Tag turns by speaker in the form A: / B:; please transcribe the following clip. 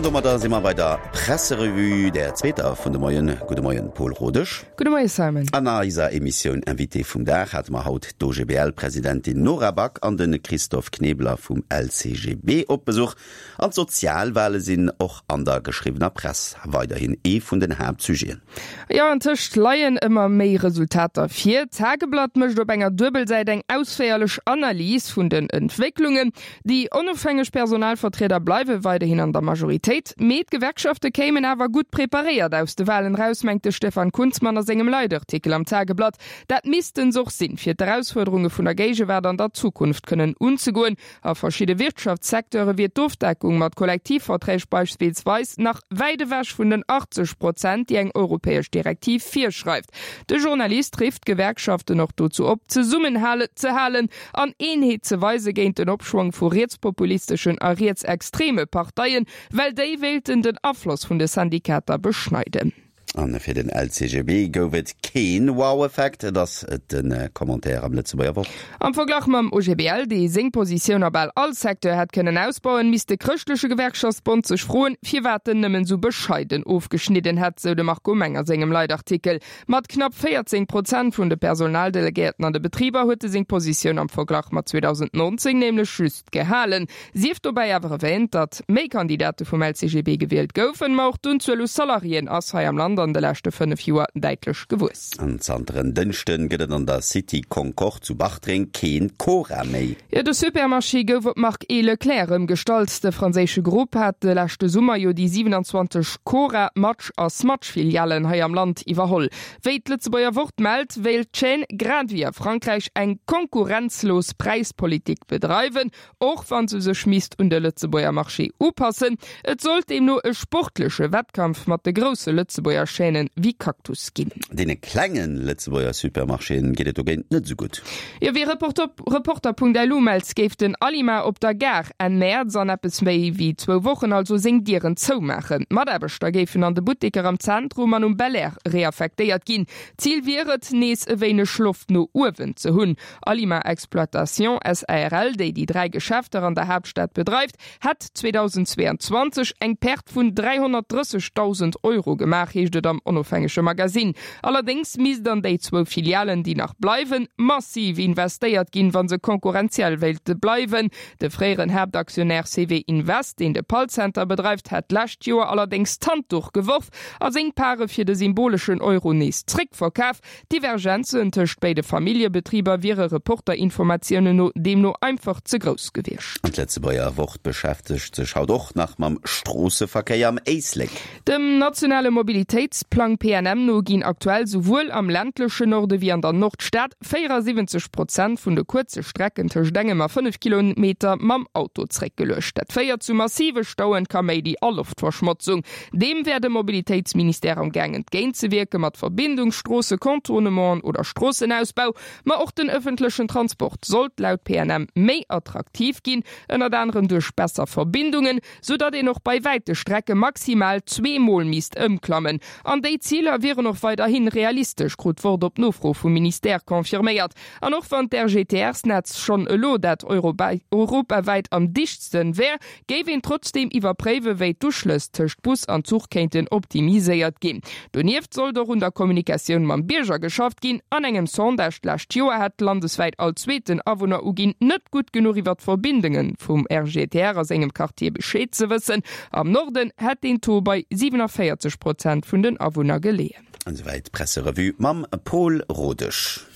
A: domadder si mer bei der Presserevue, där zweeter vun de Moien. Gudde Moien, Paul Rodesch.
B: Gudde Moie, Simon.
A: An eiser Emissioun Invité vum Dag hate mer haut d'OGBL-Presidentin Nora Back an de Christophe Knebeler vum LCGB op Besuch. An d'Sozialwale sinn och an der geschriwwener Press weiderhin ee vun den Haaptsujeten.
B: Jo, antëscht leien ëmmer méi Resultater vir. D'Tageblatt mécht op enger Duebelsäit eng ausféierlech Analys vun den Entwécklungen. Déi onofhängeg Personalvertrieder bleiwe weiderhin an der Majoritéit, mee d'Gewerkschafte kéimen awer gutt preparéiert aus de Walen eraus, mengt de Stefan Kunzmann a sengem Leitartikel am Tageblatt. Dat missten se och sinn, fir d'Erausfuerderunge vun der Géigewaart an der Zukunft kënnen unzegoen. A verschidde Wirtschaftssecteure wier d'Ofdeckung mat Kollektivverträg beispillsweis nach wäit ewech vun den 80 Prozent, déi eng europäesch Direktiv virschreift. De Journalist rifft d'Gewerkschaften och dozou op, zesummenhale ze halen an Eenheet ze weise géint den Opschwong vu rietspopulisteschen a rietsextreme Parteien, well déi wéilten den Afloss vun de Syndikater beschneiden.
A: A fir den LCGB gouf et keen Wow-Effekt, et ass de Commentaire am Lëtzebuerger Wort.
B: Am Verglach mam OGBL, dee seng Positioun a bal all Secteur hätt kënnen ausbauen, misst de chrëschtleche Gewerkschaftsbond sech froen, firwat en nëmmen esou bescheiden ofgeschnidden hätt, sou de Marco Meng a sengem Leitartikel. Mat knapp 14 Prozent vun de Personaldelegéierten an de Betriber huet e seng Positioun am Verglach mat 2019 nämlech just gehalen. Sief dobäi awer erwäänt, datt méi Kandidate vum LCGB gewielt goufen, ma och d'Unzuel u Salariéen ass hei am Land an de leschte 5 Joer däitlech gewuess.
A: An zanter en Dënschden gëtt et an der City Concorde zu Bartreng keen Cora méi.
B: Jo, de Supermarché gouf op d'Mark E. Leclerc ëmgestallt. De franséische Grupp hat de leschte Summer jo déi 27 Cora, Match a Smatch Filialen hei am Land iwwerholl. Wéi d'Lëtzebuerger Wort mellt, wéilt d'Chaîne grad ewéi a Frankräich eng konkurrenzlos Präispolitik bedreiwen, och wa se sech misst un de Lëtzebuerger Marché upassen. Et sollt deemno e sportleche Wettkampf mat de grousse Lëtzebuerger Chaînen wéi Cactus ginn.
A: Deene klenge Lëtzebuerger Supermarchéen geet et dogéint net esou gutt.
B: Jo, wéi Reporter.lu mellt, géif den Alima op der Gare Enn Mäerz, an eppes méi wéi zwou Wochen also, seng Dieren zoumaachen. D'Mataarbechter géifen an de Butteker am Zentrum an um Belair reaffektéiert ginn. Zil wier et, nees e wéineg Loft no uewen ze hunn. Alima Exploitation SARL, déi déi 3 Geschäfter an der Haaptstad bedreift, hätt 2022 eng Perte vun 330.000 Euro gemaach, heescht et am onofhängege Magasinn. Allerdéngs misst an déi zwou Filialen, déi nach bleiwen, massiv investéiert ginn, wa se konkurrenziell wéilte bleiwen. De fréieren Haaptaktionär CW Invest, deen de Pall-Center bedreift, hätt d'lescht Joer allerdéngs d'Handduch geworf a seng Pare fir de symboleschen Euro nees zréckverkaf. D'Divergenzen tëscht béide Familljebetriber wiere Reporter-Informatiounen no deemno einfach ze grouss gewiescht.
A: An d'Lëtzebuerger Wort beschäftegt sech haut och nach mam Stroosseverkéier am Éislek.
B: Dem nationale Mobilitéitsplang PNM no ginn aktuell souwuel am ländlechen Norde wéi an der Nordstad 74 Prozent vun de kuerze Strecken tëscht engem a 5 Kilometer mam Auto zréckgeluecht. Dat féiert zu massive Stauen, Kaméidi a Loftverschmotzung. Deem wär de Mobilitéitsministère am Gaang entgéintzewierke mat Verbindungsstroosse, Contournementen oder Stroossenausbau. Ma och den ëffentlechen Transport sollt laut PNM méi attraktiv ginn, ënnert anerem duerch besser Verbindungen, sou datt een och bei wäite Strecke maximal zweemol misst ëmklammen. An déi Ziler wieren och weiderhi realistesch, krut d'Wort op Nofro vum Ministère confirméiert. An och wann d'RGTR-Snetz schonn elo dat europawäit am dichtsten wär, géif een trotzdeem iwwerpréiwen, wéi d'Uschlëss tëscht Bus an Zuch kéinten optimiséiert ginn. Donieft sollt och un der Kommunikatioun mam Bierger geschafft ginn. An engem Sondage d'lescht Joer hätt landeswäit all zweeten Awunner uginn, net gutt genuch iwwer d'Verbindunge vum RGTR a sengem Quartier Bescheed ze wëssen. Am Norden hätt deen Taux bei 47 Prozent vun den Awunner geleeën.
A: Esouwäit d'Presserevue mam Pol Rodesch.